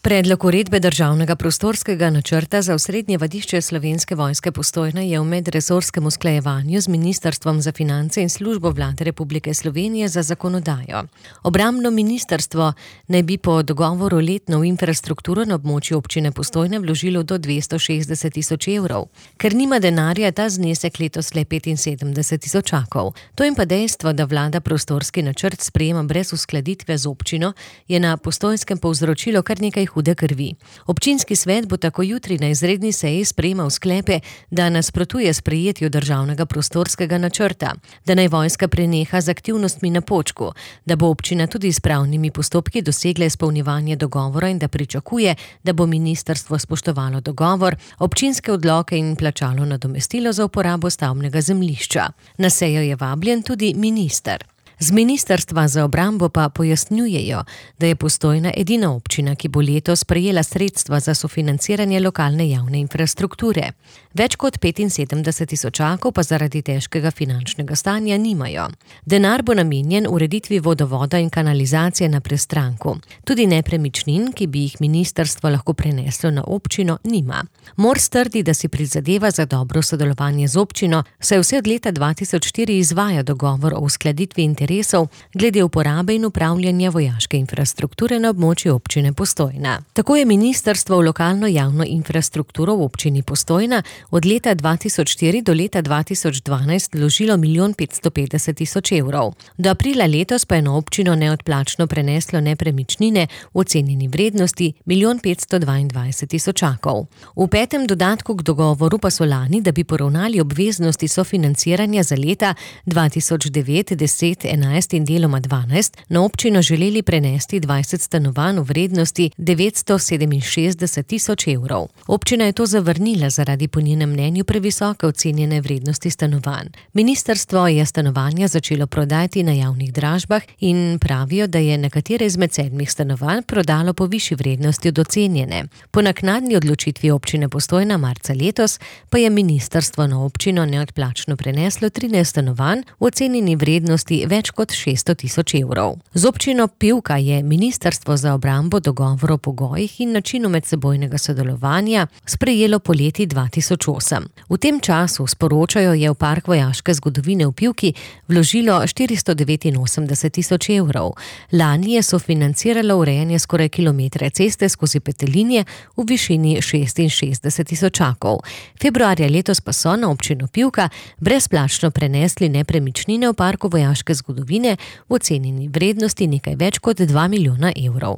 Predlog uredbe državnega prostorskega načrta za osrednje vadišče Slovenske vojske Postojna je v medresorskem usklajevanju z Ministrstvom za finance in Službo Vlade Republike Slovenije za zakonodajo. Obrambno ministrstvo naj bi po dogovoru letno v infrastrukturo na območju občine Postojna vložilo do 260 tisoč evrov. Ker nima denarja, ta znesek letos le 75 tisočakov. To in pa dejstvo, da vlada prostorski načrt sprejema brez uskladitve z občino, je na Postojnskem povzročilo kar nekaj hude krvi. Občinski svet bo tako jutri na izredni seji sprejemal sklepe, da nasprotuje sprejetju državnega prostorskega načrta, da naj vojska preneha z aktivnostmi na Počku, da bo občina tudi s pravnimi postopki dosegla izpolnjevanje dogovora in da pričakuje, da bo ministrstvo spoštovalo dogovor, občinske odloke in plačalo nadomestilo za uporabo stavbnega zemljišča. Na sejo je vabljen tudi minister. Z Ministrstva za obrambo pa pojasnjujejo, da je Postojna edina občina, ki bo letos prejela sredstva za sofinanciranje lokalne javne infrastrukture. Več kot 75 tisočakov pa zaradi težkega finančnega stanja nimajo. Denar bo namenjen ureditvi vodovoda in kanalizacije na Prestranku. Tudi nepremičnin, ki bi jih ministrstvo lahko preneslo na občino, nima. Mors trdi, da si prizadeva za dobro sodelovanje z občino, saj vse od leta 2004 izvaja dogovor o uskladitvi interesov glede uporabe in upravljanja vojaške infrastrukture na območju občine Postojna. Tako je ministrstvo v lokalno javno infrastrukturo v občini Postojna od leta 2004 do leta 2012 vložilo 1 550 000 evrov. Do aprila letos pa je na občino neodplačno preneslo nepremičnine v ocenjeni vrednosti 1 522 tisočakov. V petem dodatku k dogovoru pa so lani, da bi poravnali obveznosti sofinanciranja za leta 2009, 10, 11 in deloma 12, na občino želeli prenesti 20 stanovanj v vrednosti 967 tisoč evrov. Občina je to zavrnila zaradi po njenem mnenju previsoke ocenjene vrednosti stanovanj. Ministrstvo je stanovanja začelo prodajati na javnih dražbah in pravijo, da je nekatere izmed 7 stanovanj prodalo po višji vrednosti od ocenjene. Po naknadni odločitvi občine Postojna marca letos pa je ministrstvo na občino neodplačno preneslo 13 stanovanj v ocenjeni vrednosti več kot 600 tisoč evrov. Z občino Pivka je Ministrstvo za obrambo dogovor o pogojih in načinu medsebojnega sodelovanja sprejelo poleti 2008. V tem času, sporočajo, je v Park vojaške zgodovine v Pivki vložilo 489 tisoč evrov. Lani je sofinanciralo urejanje skoraj kilometra ceste skozi Petelinje v višini 66 tisočakov. Februarja letos pa so na občino Pivka brezplačno prenesli nepremičnine v Parku vojaške zgodovine v ocenjeni vrednosti nekaj več kot 2 milijona evrov.